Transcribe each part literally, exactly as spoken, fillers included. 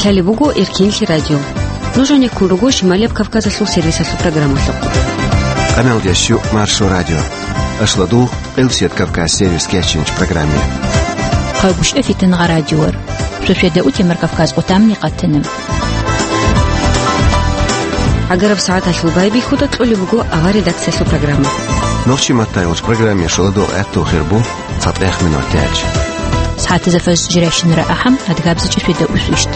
Лъалеб буго Эркенлъи радио. Нуж гьанеккун руго Шималияб Кавказалъул сервисалъул программалъухъ. Къамелдеш щу Маршо радио. Ашладу Къилсият Кавказ сервис кечинч программе. Хъагушев Фитнагъа радиор. Суседа утемар Кавказ къутамни къатана. Агараб сагӀаталъул байбихьуда кьолеб буго авар редакциялъул программа. Нохчи маттайолч программе шоладо гӀатту хирбу цатӀех минут тяч. СагӀатазда фаз жиращинара ахӀам адгабзичӀи суседа усвищт.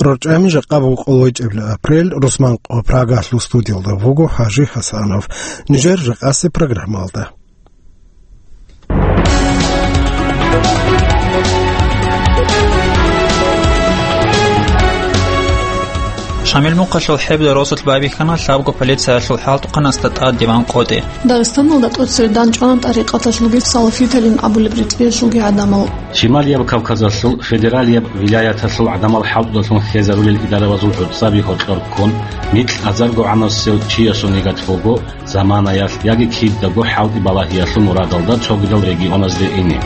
РорчӀами жакъа буго къолойчӀебли апрель, русман къо Прагалъул студиялда вуго ХӀажи ХӀасанов. Нижер жакъаси программалда. Шамил мухъалъул хӀебда росулъ байбихьана лъабго полициялъул хӀалтӀухъанасда тӀад диван къотӀи. Дагъистаналда тӀоцере данчӀвана тӀарикъаталъулги салафиталин абулеб ритӀиялъулги гӀадамал. Шималияб Кавказалъул федералияб вилаяталъул гӀадамал хӀалтӀудалъун хьезарулел идарабазул гӀуцӀаби гьоркьор ккун, микь азаргогӀанасев чиясул нигат буго заманаялъ яги кидаго хӀалтӀи балагьиялъул мурадалда цогидал регионазде ине.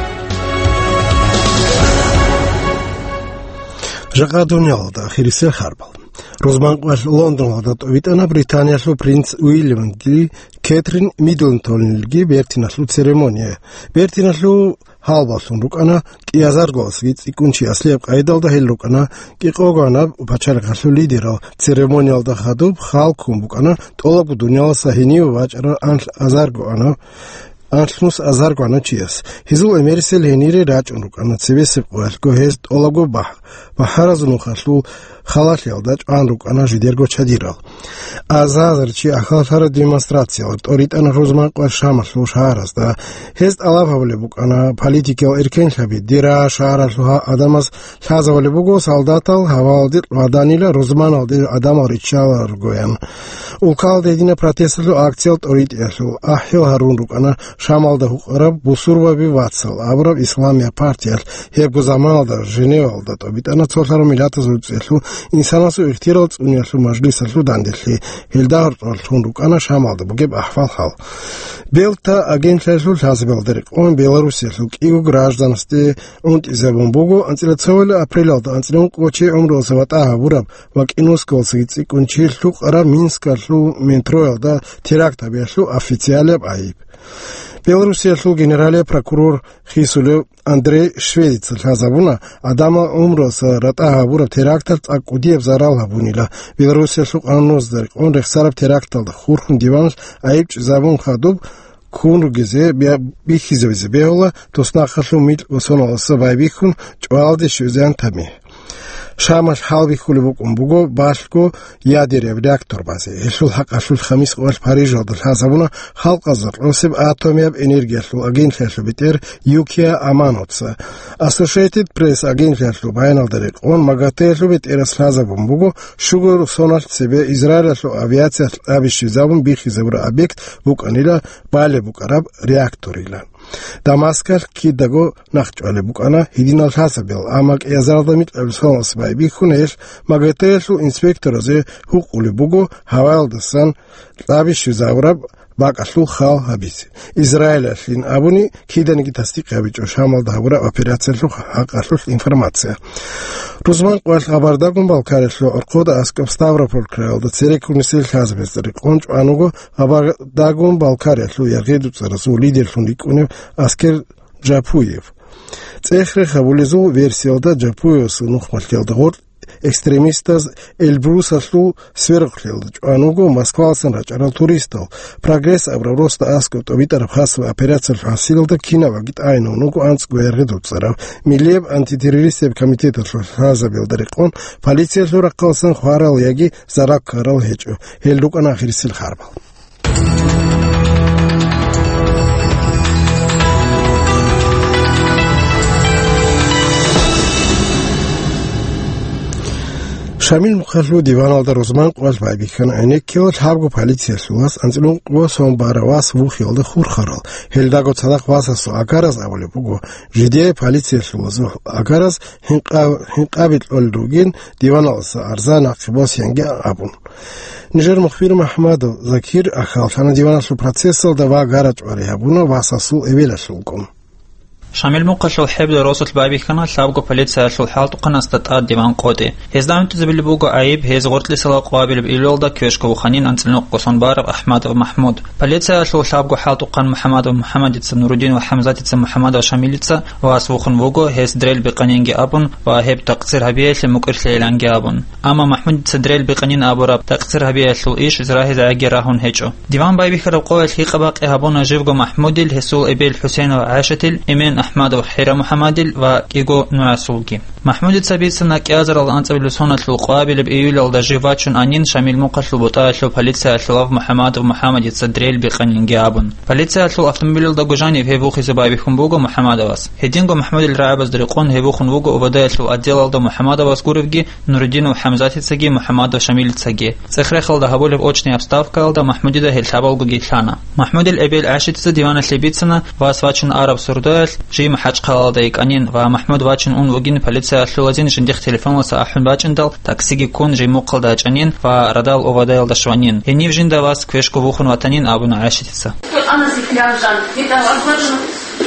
Жакъа дуниялалда ахирисел харбал. Рузманкъвалъ Лондоналда тӀовитӀана Британиялъул принц Уильямги Кетрин Миддлтонилги бертиналъул церемония. Бертиналъул гьалбалъун рукӀана кӀиазаргоялдасаги цӀикӀкӀун чи аслияб къайдалда гьел рукӀана кӀикъогоанаб пачалихъалъул лидерал. Церемониялда хадуб хал ккун букӀана тӀолабго дуниялалдаса гьениве вачӀарал анлъ азаргоанав, анлънус азаргоанав чияс. Гьезул эмерисел гьенире рачӀун рукӀана цебесеб къоялъго гьез тӀолабго бахӀ-, бахӀаразул нухалъул халалъиялда чӀван рукӀана жидерго чадирал. Азар-азар чи ахаллъараб демонстрациялда тӀоритӀана рузманкъвалъ Шамалъул шагьаразда. Гьез тӀалаб гьабулеб букӀана политикиял эркенлъаби: дира шагьаралъул гьа-, гӀадамаз лъазабулеб буго солдатал гьаваялде къваданила рузманалде гӀадамал риччаларгоян. Улкалда гьединаб протесталъул акциял тӀоритӀиялъул ахӀил гьарун рукӀана Шамалда гьукъараб бусурбаби вацал абураб исламияб партиялъ. Гьебго заманалда Женевалда тӀобитӀана Цолъарав Миллатазул ГӀуцӀиялъул инсанасул ихтияр цӀуниялъул мажлисалъул данделъи. Гьелда гьоркьор лъун рукӀана Шамалда бугеб ахӀвал-хӀал. Белта агентлъиялъул лъазабиялда рекъон Белоруссиялъул кӀиго гражданасде унтӀизабун буго анцӀила цоял апрелалда анцӀила ункъо чи гӀумруялдаса ватӀа гьабураб ва кӀинусиялдасаги цӀикӀкӀун чи лъукъараб Минскалъул метроялда теракт гьабиялъул официалияб гӀайиб. Белоруссиялъул генералияб прокурор хисулев Андрей Шведица лъазабуна гӀадамал гӀумруялдаса ратӀа гьабураб теракталъ цӀакъ кӀудияб зарал гьабунила. Белоруссиялъул къануналда рекъон рехсараб теракталда хурхун диваналъ гӀайиб чӀезабун хадуб ккун ругезе бя-, бихьизабизе бегьула туснахъалъул микьго соналдаса байбихьун чӀвалде щвезегӀан тамихӀ. Шамалъ хӀалбихьулеб букӀун буго балъго ядераб реактор базе. Гьелъул хӀакъалъулъ хамис къоялъ Парижалда лъазабуна халкъазда кьосеб атомияб энергиялъул агентлъиялъул бетӀер Юкия Аманоца. Associated Press агентлъиялъул баяналда рекъон МАГАТЭ-ялъул бетӀерас лъазабун буго щуго соналъ цебе Израилалъул авиациялъ кьаби щвезабун бихьизабураб объект букӀанила балеб букӀараб реакторила. Дамаскалъ кидаго нахъчӀвалеб букӀана гьединал лъазабиял, амма кӀиазаралда микьабил соналдаса байбихьун гьелъ МАГАТЭ-ялъул инспекторазе гьукъулеб буго гьаваялдасан кьаби щвезабураб бакӀалъул хал гьабизе. Израилалъин абуни, киданиги тасдикъ гьабичӀо Шамалда гьабураб операциялъул хӀакъалъулъ информация. Рузманкъвалъ Гъабардагун Балкариялъул гӀорхъода аскӀоб Ставрополь краялда цереккун нилъер лъазабазда рекъон чӀван вуго Гъабардагун Балкариялъул яргъи-дуцӀаразул лидерлъун рикӀкӀунев Аскер Джапуев. ЦӀех-рех гьабулезул версиялда Джапуевасул нухмалъиялда гъоркь экстремистаз Эльбрусалъул сверухълъиялда чӀван вуго Москвалдасан рачӀарал туристал. «Прогресс» абураб росда аскӀоб тӀобитӀараб хасаб операциялъул хӀасилалда кинаб аги тӀагӀинавун вуго анцӀго яргъи-дуцӀарав. Миллияб антитеррористияб комитеталъул лъазабиялда рекъон полициялъул рахъалдасан хварал яги зарал ккарал гьечӀо. Гьел рукӀана ахирисел харбал. Шамил мухъалъул диваналда рузманкъвалъ байбихьана гӀенеккила лъабго полициялъулас анцӀила ункъо сон барав вас вухиялда хурхарал. Гьелдаго цадахъ васасул агараз абулеб буго, жидее полициялъулазул агараз гьинкъа-, гьинкъаби кьолел ругин, диваналдаса арзан нахъе босиянги абун. Нижер мухбир МахӀмадов Закир ахьаллъана диваналъул процессалда ва гара-чӀвари гьабуна васасул эбелалъулгун. Шамил мухъалъул хӀебла росулъ байбихьана лъабго полициялъул хӀалтӀухъанасда тӀад диван къотӀи. Гьезда гӀунтӀизабулеб буго гӀайиб гьез гъоркьисала къвабилеб июлалда квешго вуханин анцӀила нухъго сон бараб АхӀмадов МахӀмуд. Полициялъул лъабго хӀалтӀухъан МухӀамадов МухӀамадица, Нурудин ва ХӀамзатица МухӀамадов Шамилица вас вухун вуго, гьес дрел бикъанинги абун ва гьеб такъсир гьабиялъе мукӀирлъейиланги абун. Амма МахӀмудица дрел бикъанин абураб такъсир гьабиялъул иш рагьизегӀаги рагьун гьечӀо. Диван байбихьараб къоялъ гьикъа-бакъи гьабуна живго МахӀмудил, гьесул эбел ХӀусейнов ГӀайшатил, эмен АхӀмадов ХӀира МухӀамадил ва кӀиго нугӀасулги. МахӀмудица бицана кӀиазарал анцӀабилеб соналъул къвабилеб июлалда жив вачун анин Шамил мухъалъул бутӀаялъул полициялъулав МухӀамадов МухӀамадица дрел бикъанинги абун. Полициялъул автомобилалдаго жанив гьев вухизе байбихьун буго МухӀамадовас. Гьединго МахӀмудил рагӀабазда рекъон гьев вухун вуго Ободаялъул отделалда МухӀамадовас гуребги, Нурудинов ХӀамзатицаги МухӀамадов Шамилицаги. ЦӀех-рехалда гьабулеб очный обставкаялда МахӀмудида гьел лъабалгоги лъана. МахӀмудил эбел ГӀайшатица диваналъе бицана вас вачун араб сордоялъ жий МахӀачхъалаялда йикӀанин ва МахӀмуд вачун ун вугин полициялъулазин жиндихъ телефоналъа ахӀун бачӀиндал, таксиги ккун жий мухъалда ячӀанин ва радал Ободаялда щванин. Гьенив жинда вас квешго вухун ватанин абуна ГӀайшатица. Анасиклянжан, дида варгварна,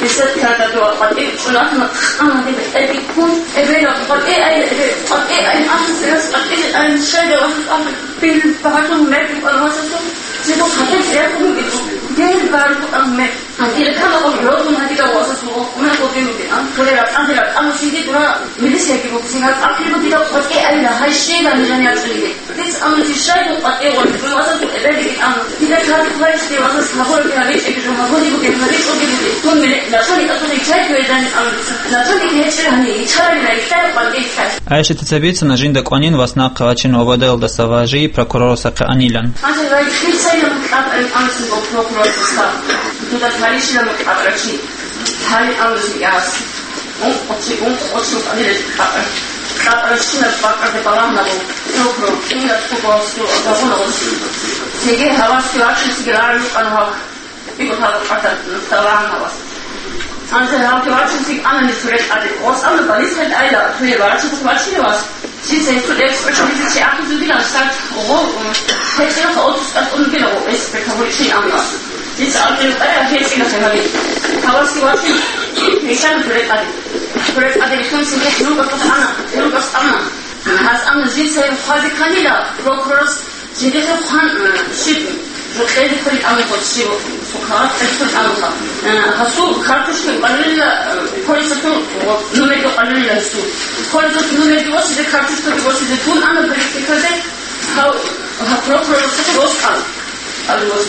бесед кардадуа къватӀи чӀунатна, хъана дида хӀедиккун, эбела къватӀи ай, эбе къватӀи ай, анасилас къватӀи ай, шайда вахъа, бил багатун мекӀ, анасасу, дида хатӀи рекун биту, дел баргу ан мекӀ. Гьатира кама къо рогун гьатира васасу, уна къодин битан, хулера, анасира, анасиди дура, милисиги буксина, ахиру дида къватӀи айла, гьай шейла нижан ячӀиги. Дица амру жишайгун къватӀивгъун, жумазабу эбелги амру. Дида кадихъ вайчӀги вазас гьабурги гьабичӀеги жумазуни бугеб гьабичӀоги бугеб. Дун миле-, начальник атуни чай квердани амру. Начальник гьечӀел гьани, ичарали райихъай къватӀи ихъай. ГӀайшатица бицана жинда кӀванин вас нахъе вачин Ободаялдаса ва жий прокурорасахъе анилан. Гьанже райихъил сайилан кьабарин амрусин бо прокурорасда. Дуда таришилан кьабарачи. Гьали амрусин яс. Ункъо чи, ункъо чи кьадилел кьакьа. Кьакьа щинаб бакӀалде балагьанабу, рухӀ-рухӀ, кинаб тӀубасул загъуна гъос. Цеге гьавасги вачӀунсиги рагӀи рукӀана гьав. Игу гьав кьатӀа балагьана вас. Анзе гьавги вачӀунсиги анани сурел тӀаде. Гъос амна балисхъел айла, туе вачӀунсиги вачӀине вас. Жинца гьесул экспертизе чи ахӀизудилан сарт гъо, гьечӀебха отпуск атӀун бугила гъо, эксперт гьабуричи амма. Жинца абдул къая гьечӀила хӀемали. Гьаваси вачи гьешан гьурекъади. Гьурекъади рихьунси гьес ругасухъ ана, ругас ана. Гьас амма жинца гьев хъвази канила, прокурорас жидехъе хъван, э, щиб, жукъезе хъули амухъо щиб. Сухъа, гьесул амха. Э, гьасул карточка къалулила, э, полисатул, вот, номерго къалулила гьесул. Полисатул номерги восизе, карточка восизе, дун ана политиказе, гьав, гьав прокурор росулъа рос кьал. Кьал рос.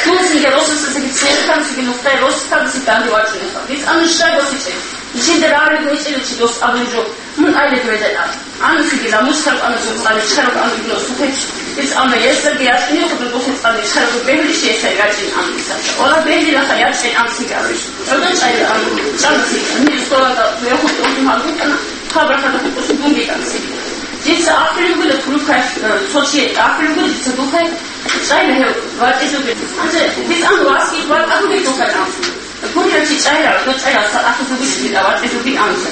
Дун синге росасаги церкан, сиги нухдай рос кьал, сиги данде вачунеха. Виц ана шай восиче. Ишинде равли гойчили чи дос абун жо. Мун айле гойдал ан. Анусиги ламус хӀарб ана сухъали, чараб ана гуна сухъич. Ис ана есерги яшкине худун духъи цӀали, чараб бегьулищ есер ячӀин ан исаца. Вала бегьлилаха ячӀин ан сигари. ГӀодан чӀайил ан, чӀана сигари. Мир столада вехут ултун гьалгутана, хабар хада хутӀус гунги ан сигари. Дица ахиригула турукай, э, Сочи ахиригула дица духай, чӀайла гьев ватӀизуги. Анже, дис ан васки ватӀа гуги духай ан. Гурила чи чӀайла, гӀодо чӀайла, са ахӀи зугуш дида, ватӀи зуги амса.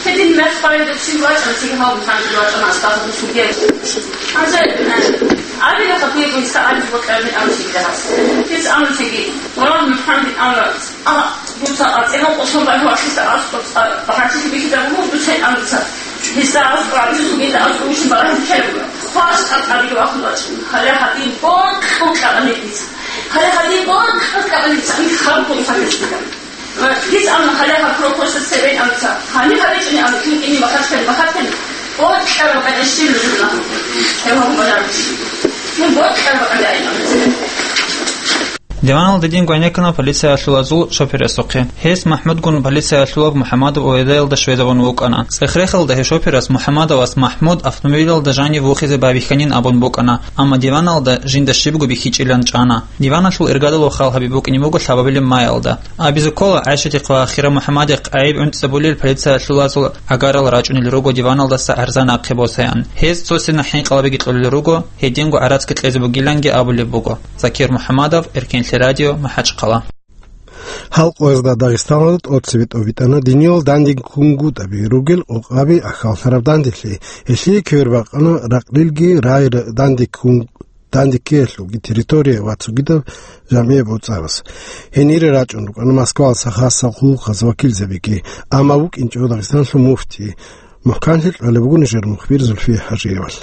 Гьедин мер хъварилда чи вачӀан, чи гьав мухӀанжи вачӀана, астахъу сугел. Анса, э, абила хатуе гуйса али бокьарни амси дагьас. Кис амсиги, вала мухӀанжи амра, а, дуца ацӀила къосо бай вахиса аскъо, а, багьачи бихида гьу, дуца амса. Гьесда аскӀо абилъуги да аскӀо вуш балагьи ккелуга. Хвас тӀатӀаби вахун вачин. Гьале гьадин бокьун кьабани дица. Гьале гьадин бокьун кьабани дица. Ин хаб бун хабиз дида. Дица амма гьале гьаб прокурорса цебен амца. Гьани гьабичӀуни амма кин кини бахаткани, бахаткани. Бокьар бакӀа эшшил нужна. Гьев гьабун бажараб. Ну, бокьар бакӀа дай амца. Диваналда дин гвайнекана полициялъулазул шоферасухъе. Гьес МахӀмудгун полициялъулаб МухӀаммадов Ободаялда щвезабун вукӀана. ЦӀехрехалда гьев шоферас МухӀаммадовас МахӀмуд автомобилалда жанив вухизе байбихьанин абун букӀана, амма диваналда жинда щибго бихьичӀилан чӀана. Диваналъул иргадалъул хал гьабиб букӀине буго лъабабилеб майалда. Абизе ккола, ГӀайшатихъ ва Хира МухӀаммадихъ гӀайиб гӀунтӀзабулел полициялъулазул агарал рачӀунел руго диваналдаса гӀарза нахъе босаян. Гьез цо сенахӀ хӀинкъалабиги кьолел руго, гьединго гӀарацги кьезе бугиланги абулеб буго. Закир МухӀаммадов, Эркенлъи радио, МахӀачхъала. Гьал къоязда Дагъистаналда тӀоцебе тӀобитӀана диниял дандеккунгутӀаби ругел къокъаби ахьаллъараб данделъи. Гьелъие квербакъана ракълилги рай дандеккун-, данде ккеялъулги территория ва цогидаб жамгӀияб гӀуцӀарас. Гьенире рачӀун рукӀана Москвалдаса хасал хъулухъаз вакилзабиги, амма вукӀинчӀо Дагъистаналъул муфти. МухӀканлъи кьолеб буго нижер мухбир Зульфия ХӀажиевал.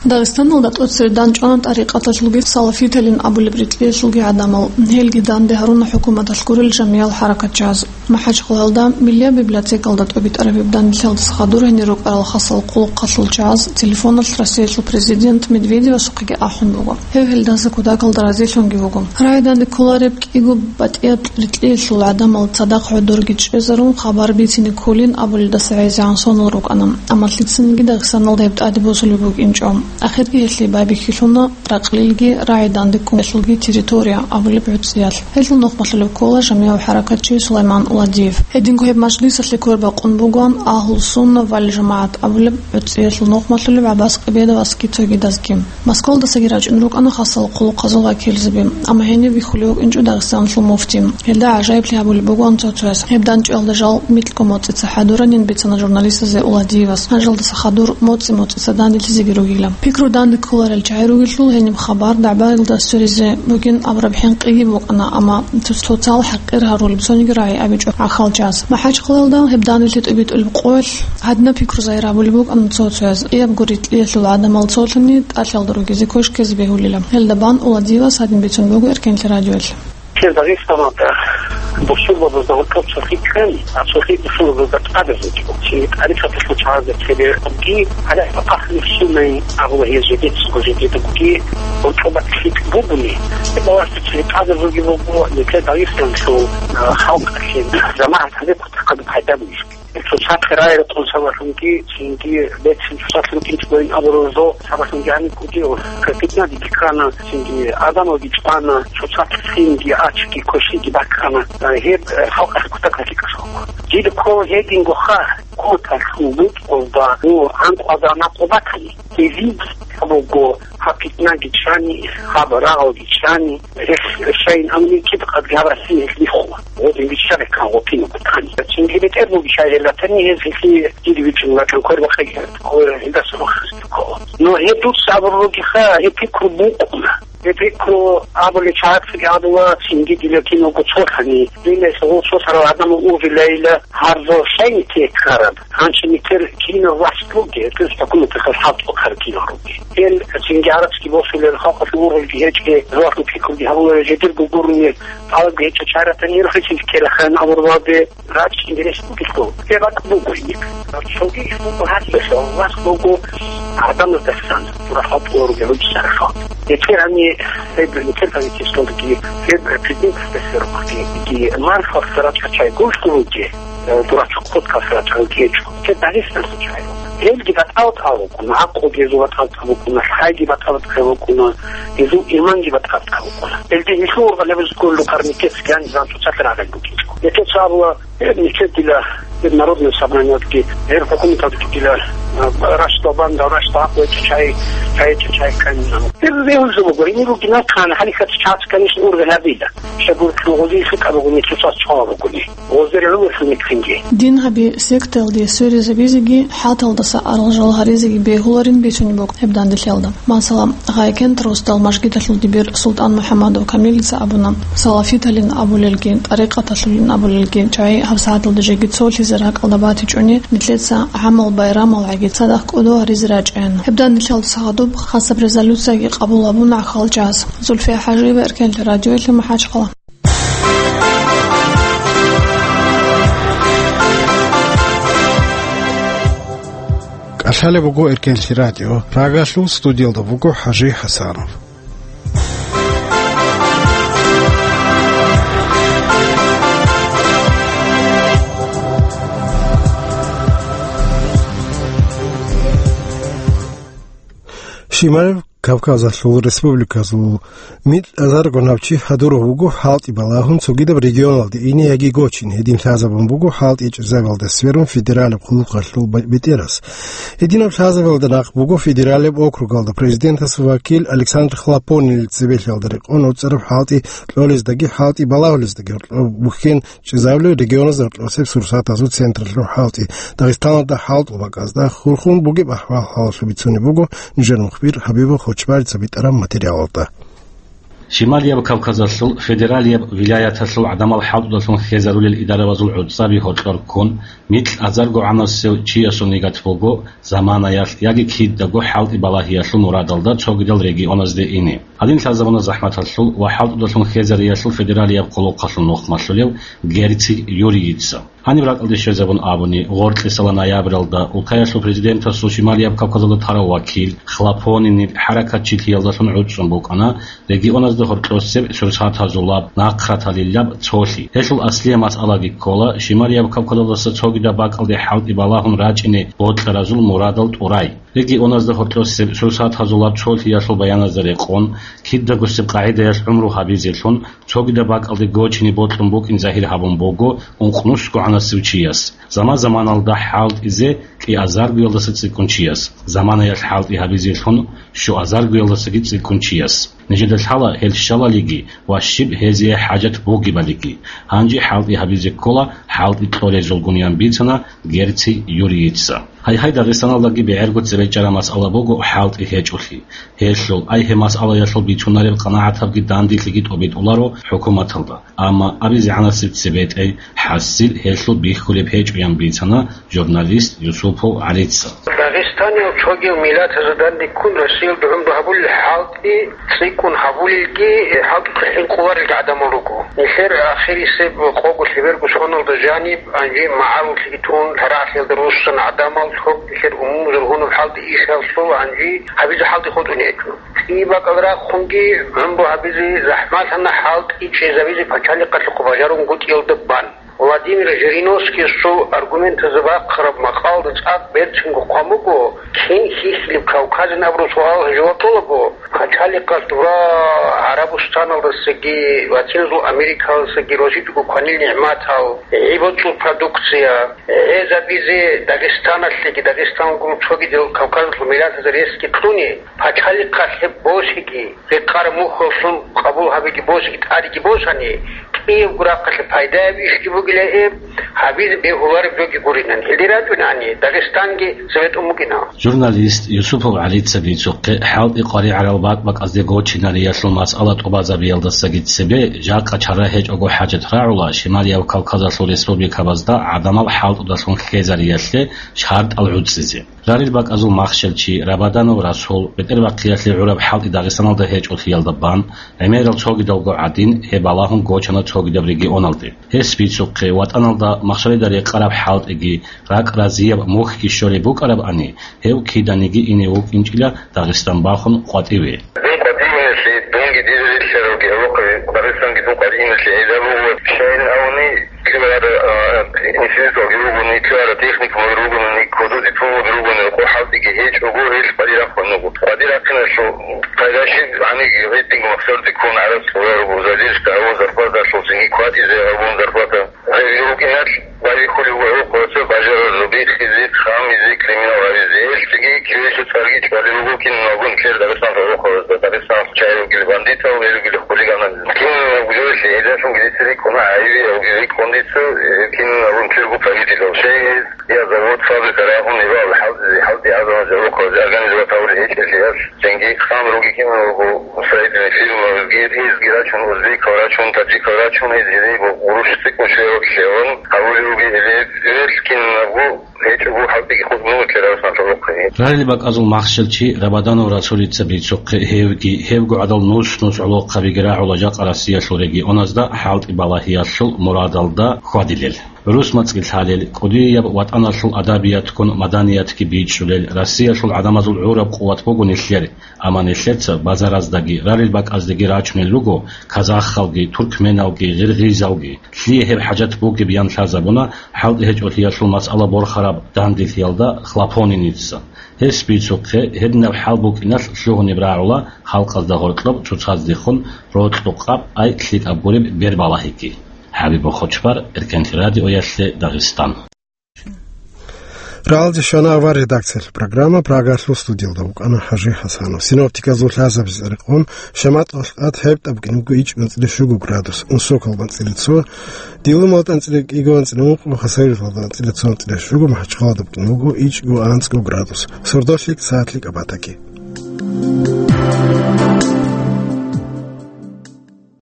Дагъистаналда тӀоцере данчӀвана тӀарикъаталъулги салафиталин абулеб рикьиялъулги гӀадамал. Гьелги данде гьаруна хӀукуматалъ гурел жамиял хӀаракатчияз. МахӀачхъалаялда Миллияб библиотекалда тӀобитӀараб гьеб данделъиялдаса хадур гьенир рукӀарал хасал хъулухъалъул чагӀаз телефоналъ Россиялъул президент Медведевасухъеги ахӀун буго. Гьев гьелдаса кутакалда разилъунги вуго. РагӀи данде кколареб кӀиго батӀияб рикьиялъул гӀадамал цадахъ гӀодорги чӀезарун хабар бицине кколин абулелдаса гӀезегӀан сонал рукӀана, амма лъицаниги Дагъистаналда гьеб тӀаде босулеб букӀинчӀо. Ахирги гьелъие байбихьилъуна Ракълилги рагӀи данде кколелъулги территория абулеб гӀуцӀиялъ. Гьелъул нухмалъулеб ккола жамигӀав хӀаракатчи Сулайман Уладиев. Гьединго гьеб мажлисалъе квербакъун бугоан Агьлу-Сунна вал ЖамагӀат абулеб гӀуцӀиялъул нухмалъулев ГӀаббас Къибедовасги цогидазги. Москвалдасаги рачӀун рукӀана хасал хъулухъазул вакилзаби, амма гьениб бихьулев вукӀинчӀо Дагъистаналъул муфти. Гьелда гӀажаиблъи гьабулеб бугоан цо-цояс. Гьеб данчӀвалда жал микьго моцӀица хӀадуранин бицана журналистазе Уладиевас. Гьанжалдаса хадур моцӀи-моцӀица данделъизеги ругила. Пикру данде кколарел чагӀи ругелъул гьениб хабар дагӀбаялда сверизе бугин абураб хӀинкъиги букӀана, амма цо-, цоцал хӀакъир гьарулеб цониги рагӀи абичӀо гӀахьалчияс. МахӀачхъалаялда гьеб данделъи тӀобитӀулеб къоялъ гьадинаб пикру загьир гьабулеб букӀана цо-цояз. Кьиябго рикьиялъул гӀадамал цолъани тӀалъалда ругезе квешкезе бегьулила. Гьелда бан Уладиевас гьадин бицун буго Эркенлъи радиоялъ. Кир Дагъистаналда бусурбабазда гьоркьоб цохи ккани, а цохи бусурбабазда тӀадаб буго. Чи тӀарикъаталъул чагӀазда цебе буги, гьале ахлу суннайин абула гьез жидецаго жидеда буги, гьоркьоба лъикӀ бугуни. Балагье цохи тӀадаб буги буго, нилъер Дагъистаналъул, а, халкъалъе, жамагӀат гьабе кутакаб пайда бугищ. Цоцахъе рагӀи рекъон сабаблъунги, цинги бецин цоцалъ рукӀинчӀогойин абураб жо сабаблъунги гьаниб кӀудияв питнаги бихьана, цинги адамалги чӀвана, цоцалъ цинги ачги квешиги бахъана. Гьеб, э, халкъалъе кутакалъе кӀалъалго. Дида ккола гьединго ха, кутакалъул бутӀрузда, ну, гӀанкъуда накъу батани. Гьезие буго гьаб питнаги чӀани, гьаб рагъалги чӀани, гьелъ щайин амни киб къадги гьаб Россия гьелъ бихула. Гъодин биччаре кан гъутин бутани. Цинги бетӀер буги шай гьелатани гьез гьелъие диде вичӀун ватан квер бахъиги гьелдаса рухсаздухъо. Но гьеб дуца абурулгиха, гьеб пикру букӀуна. Гьеб пикру абулел чагӀацаги абула, цинги дила киналго цолъани. Динес гъусо сарал гӀадамал ургъилайила гьарзал шайни текараб. Гьанчи нилъер кинав вахт ругел, гьез хӀукуматалъул хӀалтӀухъ ккараб кинал ругел. Гьел цинги гӀарацги босулел, халкъалъул ургъелги гьечӀел, рагӀул пикруги гьабулел, жидерго гурони тӀалабги гьечӀел чагӀаратани рухӀизе ккелаха абурабалде рачӀинги рес бугелъул. Гьеб бакӀ буго гьеб. Цоги иш буго гьадиялъ, вас буго гӀадамаздасан, дура хӀалтӀула ругел руччараха. ГьечӀел гьани гьеб нилъер правительствоялдаги, гьеб президентасдаса рухъги, мархалъ рачӀа чай гурхӀун ругел. Э, дурачухъ хутӀ касрачӀал гьечӀо. Те Дагъистаналъул чагӀи. Гьелги батӀал-батӀал букӀуна, гӀакълуги гьезул батӀал-батӀал букӀуна, лъайги батӀал-батӀал букӀуна, гьезул иманги батӀал-батӀал букӀуна. Гьелде гьелъул ургъалеб кколел къарникец гьаниб цоцалъ рагӀел букӀинчӀо. Гьеб цо абула, гьеб нилъер дила, гьеб Народное собраниялдаги, гьеб хӀукуматалдаги дила, э, рашдал банда, рашдал гӀакълу гьечӀо чагӀи, чагӀи гьечӀо чагӀи кканилан. Гьеб бегьулеб буго, гьениб бугин нахъан, гьалихьат чагӀаз, конечно, ургъел гьабила. Щай гурелъул гъозие лъикӀаб бугони, цоцаз чӀвала бугони. Гъозие гӀумерлъун рикӀкӀинги. Дин гьаби сектаялде сверизабизеги, хӀалтӀалдаса арал жал гьаризеги бегьуларин бицунеб буго гьеб данделъиялда. Масала, Гъайкент росдал мажгиталъул дибир СултӀан МухӀаммадов Камилица абуна, салафиталин абулелги, тӀарикъаталъулин абулелги чагӀи гьабсагӀаталда жеги цолъизе ракӀалда батичӀони, нилъеца гӀамал-байрамалгӀаги цадахъ кӀодо гьаризе рачӀаян. Гьеб данделъиялдаса гьадуб хасаб резолюцияги къабул гьабуна гӀахьалчияс. Зульфия ХӀажиева, Эркенлъи радиоялъе, МахӀачхъала. КӀалъалеб буго Эркенлъи радио. Прагалъул студиялда вуго ХӀажи ХӀасанов. Шимал Кавказалъул республиказул микьазарго набчи хӀадурав вуго хӀалтӀи балагьун цогидаб регионалде ине яги гочине. Гьедин лъазабун буго хӀалтӀи чӀезабиялда сверун федералаб хъулухъалъул б-, бетӀерас. Гьединаб лъазабиялда нахъ буго федералаб округалда президентас вакил Александр Хлопонин цебелъиялда рекъон гӀуцӀараб хӀалтӀи кьолездаги хӀалтӀи балагьулездаги гьоркьоб бухьен чӀезабулел регионазда гьоркьосеб сурсатазул централъул хӀалтӀи. Дагъистаналда хӀалтӀул бакӀазда хурхун бугеб ахӀвал-хӀалалъул бицунеб буго нижер мухбир Хабибов Чубарица битӀараб материалалда. Шималияб Кавказалъул федералияб вилаяталъул гӀадамал хӀалтӀудалъун хезарулел идарабазул гӀуцӀаби гьоркьор ккун, микь азарго гӀанасев чиясул нигат буго заманаялъ яги кидаго хӀалтӀи балагьиялъул мурадалда цогидал регионазде ине. Гьадин лъазабуна захӀматалъул ва хӀалтӀудалъун хезариялъул федералияб къулухъалъул нухмалъулев Герци Юрийица. Гьаниб ракӀалде щвезабун абуни, гъоркьисала ноябралда улкаялъул президентасул Шималияб Кавказалда тарав вакил, хлопонинил хӀаракатчилъиялдалъун гӀуцӀцӀун букӀана регионазда гьоркьосеб сурсатазулаб, нахъраталилаб цолъи. Гьелъул аслияб масъалаги ккола Шималияб Кавказалдаса цогидаб бакӀалде хӀалтӀи балагьун рачӀине бокьаразул мурадал тӀурай. Регионазда гьоркьосеб сурсатазулаб цолъиялъул баяназда рекъон, кидагосеб къагӀидаялъ гӀумру гьабизелъун, цогидаб бакӀалде гочине бокьун букӀин загьир гьабун буго ункънусго гӀанасев чияс, заман-заманалда хӀалтӀизе кӀиазаргоялдаса цӀикӀкӀун чияс, заманаялъ хӀалтӀи гьабизелъун щуазаргоялдасаги цӀикӀкӀун чияс. Нижеда лъала гьел щалалиги ва щиб гьезие хӀажат бугебалиги. Гьанже хӀалтӀи гьабизе ккола, хӀалтӀи кьолезулгун, ян бицана Герци Юрийица. Гьайгьай, Дагъистаналдаги бегӀерго цебе чӀараб масъала буго хӀалтӀи гьечӀолъи. Гьелъул, ай гьеб масъалаялъул бицунареб къанагӀатабги данделъиги тӀобитӀуларо хӀукуматалда. Амма абизегӀанасеб цебетӀей хӀасил гьелъул бихьулеб гьечӀо, ян бицана журналист Юсупов ГӀалица. Дагъистаниял цогиял миллатазда данде ккун Россиялда гӀумру гьабулел хӀалтӀи цӀикӀкӀун гьабулелги, хӀалтӀухъе хӀинкъуларелги гӀадамал руго. Нилъер ахирисеб къого лъеберго соналда жаниб, гьанже магӀаруллъиги тун, лъарагӀлъиялда руссана гӀадамал, цо нилъер умумузул гьуниб хӀалтӀи ишалъул гьанже гьабизе хӀалтӀи хутӀун гьечӀо. ЦӀи бакӀал рахъунги гӀумру гьабизе захӀмалъана, хӀалтӀи чӀезабизе пачалихъалъухъ бажарунгутӀиялда бан. Владимир Жириновскийасул аргументазда бахъараб макъалда цӀакъ берцинго хъван буго, кин хьихьилеб Кавказин абураб суал жаваб кьолаго, пачалихъалъ дура ГӀарабустаналдасаги, Латиназул Америкалдасаги росичӀого кванил нигӀматал, гӀибацӀул продукция, гӀезабизе Дагъистаналъеги, Дагъистаналгун цогидал Кавказалъул миллатазда ресги кьуни, пачалихъалъ гьеб босиги, рекъараб мухьаллъун къабул гьабиги босиги тӀадеги босани, кӀиябго рахъалъе пайдаяб ишги бугила гьеб, гьабизе бегьулареб жоги гуринан. Гьелде рачӀунани, Дагъистанги цебетӀун букӀина. Журналист Юсупов ГӀалица бицухъе хӀалтӀи къваригӀарал бакӀ-бакӀазде гочинариялъул масъала тӀубазабиялдасаги цебе, жакъа чара гьечӀого хӀажат рагӀула Шималияб Кавказалъул республикабазда гӀадамал хӀалтӀудалъун хезариялъе шартӀал гӀуцӀизе. Рарил бакӀазул махщел чи Рабаданов Расул бетӀербахъиялъе гӀураб хӀалтӀи Дагъистаналда гьечӀолъиялда бан, гӀемерал цогидалго гӀадин, гьеб балагьун гочана цогидаб регионалде. Гьес бицухъе, ватӀаналда махщалида рекъараб хӀалтӀиги, ракӀ разияб мухьги щолеб букӀарабани, гьев киданиги ине вукӀинчӀила Дагъистан бахун къватӀиве. Дун къватӀиве, дунги дида релълъаралги гьавухъе, Дагъистанги дун къватӀиве гӀезабуго, щайин авни, Килара, а, институталги ругони, килара техникумал ругони, кодо дипломал ругони, рокъо хӀалтӀиги гьечӀого, гьел къвади рахъун руго. Къвади рахъиналъул пайда щиб, гьаниги гьединго махсарде ккун гӀараб цӀура руго, задержка гьавун зарплаталъул цинги кватӀизе гьабун зарплата. Гьеб рукӀиналъ байбихьулев гӀурхъуца бажарарзу биххизе, хамизе, криминал гьабизе. Гьелъги кивелъул цӀарги чӀвали руго киналгун ккер Дагъистаналъул гӀурхъуца. Дагъистаналъ чай ругел бандитал, гьел ругел хулиганал. Кинаб жоялъе гьелдалъун гьесие рикӀкӀуна гӀайибиял, рикӀкӀун дица, э, кинаб унтирго правительал. Щай гьез, я завод, фабрика рагьун, ибал хӀалтӀизе, хӀалтӀи гӀадамал жавухъазе организовать гьавулел гьечӀелъиялъ, цинги хъан руги кинабго строительный фирмаги, гьезги рачун, узбекал рачун, таджикал рачун, гьез гьезие гъурущ цӀикӀкӀун щвеялъ лъегӀун гьавулев вугев гьеле, гьелъ кинабго гьечӀого хӀалтӀиги хутӀун вукӀарав санлъулухъе. Рарил бакӀазул махщел чи Рабаданов Расулица бицухъе гьевги, гьевго гӀадал нус-нус гӀолохъабиги рагӀула жакъа Россиялъул регионазда хӀалтӀи балагьиялъул мурадалда хьвадилел. ГӀурус мацӀги лъалел, кӀудияб ватӀаналъул адабиятгун маданиятги бичӀчӀулел, Россиялъул гӀадамазул гӀураб къуват буго нилъер, амма нилъеца базараздаги, рарил бакӀаздаги рачунел руго казахалги, туркменалги, гъиргъизалги. Лъие гьеб хӀажат бугеб, ян лъазабуна хӀалтӀи гьечӀолъиялъул масъала борхараб данделъиялда Хлопониница. Гьес бицухъе, гьединаб хӀал букӀиналъ лъугьунеб рагӀула халкъазда гъоркьоб цоцаздехун рокьукъаб, ай лъикӀаб гуреб бер балагьиги. ХӀабиб Бохочбар, Эркенлъи радиоялъе, Дагъистан. Рагьалде щвана авар редакциялъул программа, Прагалъул студиялда вукӀана ХӀажи ХӀасанов. Синоптиказул лъазабизе рекъон, шамат гьалкьад гьеб тӀаб букӀине буго ичӀго анцӀила щуго градус, Унсокалда анцӀила цо, Дилумалда анцӀила кӀиго анцӀила ункъо, Хасавюрталда анцӀила цо анцӀила щуго, МахӀачхъалада букӀине буго ичӀго анцӀго градус. Сордолъи сагӀатлъи кӀабатаги.